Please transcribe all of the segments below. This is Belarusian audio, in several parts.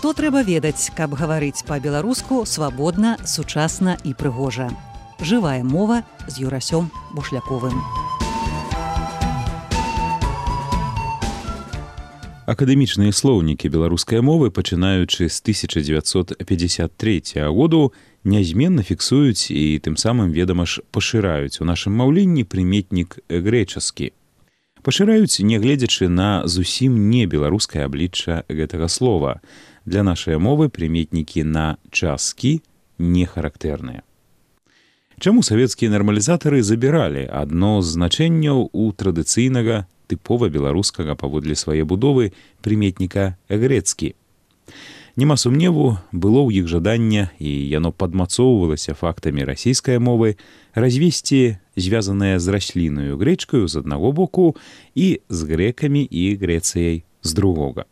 Што трэба ведаць, каб гаварыць па-беларуску свабодна, сучасна і прыгожа. Жывая мова з Юрасём Бушляковым. Акадэмічныя слоўнікі беларускай мовы, пачынаючы з 1953 году, нязменна фіксуюць і тым самым, ведама ж, пашыраюць у нашым маўленні прыметнік грэчаскі. Пашыраюць, нягледзячы на зусім не беларускае аблічча гэтага слова. Для нашай мовы прыметнікі на часткі не характэрныя. Чаму савецкія нармалізатары забіралі адно з значэнняў у традыцыйнага, тыпова беларускага паводле свае будовы прыметніка грэцкі? Нема сумневу, было ў іх жаданне, і яно падмацоўвалася фактамі расійскай мовы, развесці звязанае з раслінаю грэчкаю з аднаго боку і з грэкамі і Грэцыяй з другога.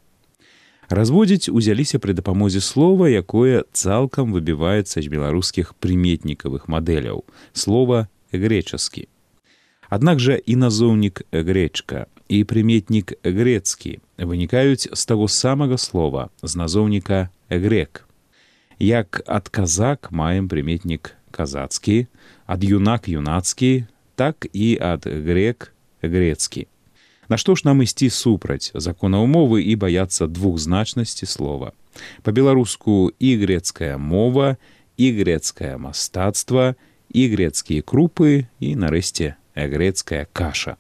Разводзіць узяліся пры дапамозе слова, якое цалкам выбіваецца з беларускіх прыметнікавых мадэляў – слова грэчаскі. Аднак жа і назоўнік грэчка, і прыметнік грэцкі вынікаюць з таго самага слова, з назоўніка грэк. Як ад казак маем прыметнік казацкі, ад юнак юнацкі, так і ад грэк грэцкі. Нашто ж нам ісці супраць законаў мовы і баяцца двухзначнасці слова? Па-беларуску і грэцкая мова, і грэцкае мастацтва, і грэцкія крупы, і, нарэшце, грэцкая каша.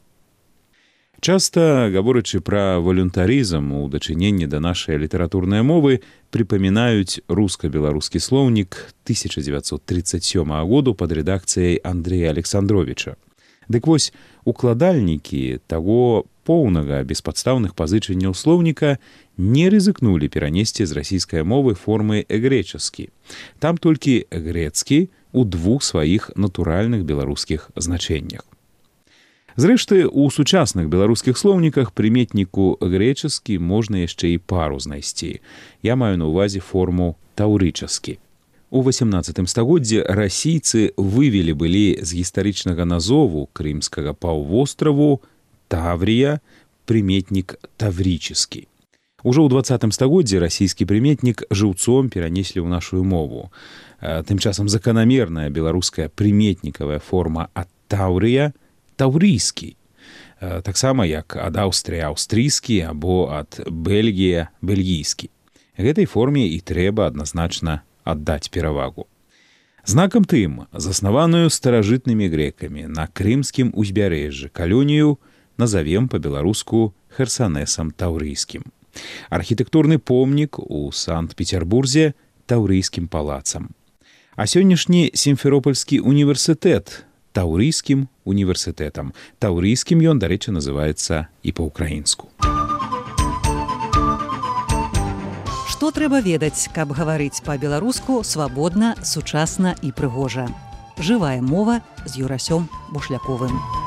Часта, гаворачы пра валюнтарызм у дачыненні да нашай літаратурнай мовы, прыпамінаюць руска-беларускі слоўнік 1937 году пад рэдакцыяй Андрэя Александровіча. Дык вось, укладальнікі таго поўнага беспадстаўных пазычанняў слоўніка не рызыкнулі перанесці з расійскай мовы формы грэчаскі. Там толькі грэцкі ў двух сваіх натуральных беларускіх значэннях. Зрэшты, у сучасных беларускіх слоўніках прыметніку грэчаскі можна яшчэ і пару знайсці. Я маю на ўвазе форму таўрычаскі. У 18 стагоддзі расійцы вывелі былі з гістарычнага назову крымскага паўвостраву Таврія прыметнік таврічаскі. Ужо ў 20 стагоддзі расійскі прыметнік жыўцом перанеслі ў нашу мову. Тым часам заканамерная беларуская прыметнікавая форма ад Таўрыя таўрыйскі, таксама як ад Аўстрыя аўстрыйскі або ад Бельгія бельгійскі. Гэтай форме і трэба адназначна аддаць перавагу. Знакам тым, заснаваную старажытнымі грэкамі на крымскім узбярэжжы калонію назавем па-беларуску Херсанесам таўрыйскім. Архітэктурны помнік у Санкт-Петербурзе таўрыйскім палацам. А сённяшні Сімферопольскі універсітэт таўрыйскім універсітэтам. Таўрыйскім ён, дарэчы, называецца і па-ўкраінску. Што трэба ведаць, каб гаварыць па-беларуску свабодна, сучасна і прыгожа. Жывая мова з Юрасём Бушляковым.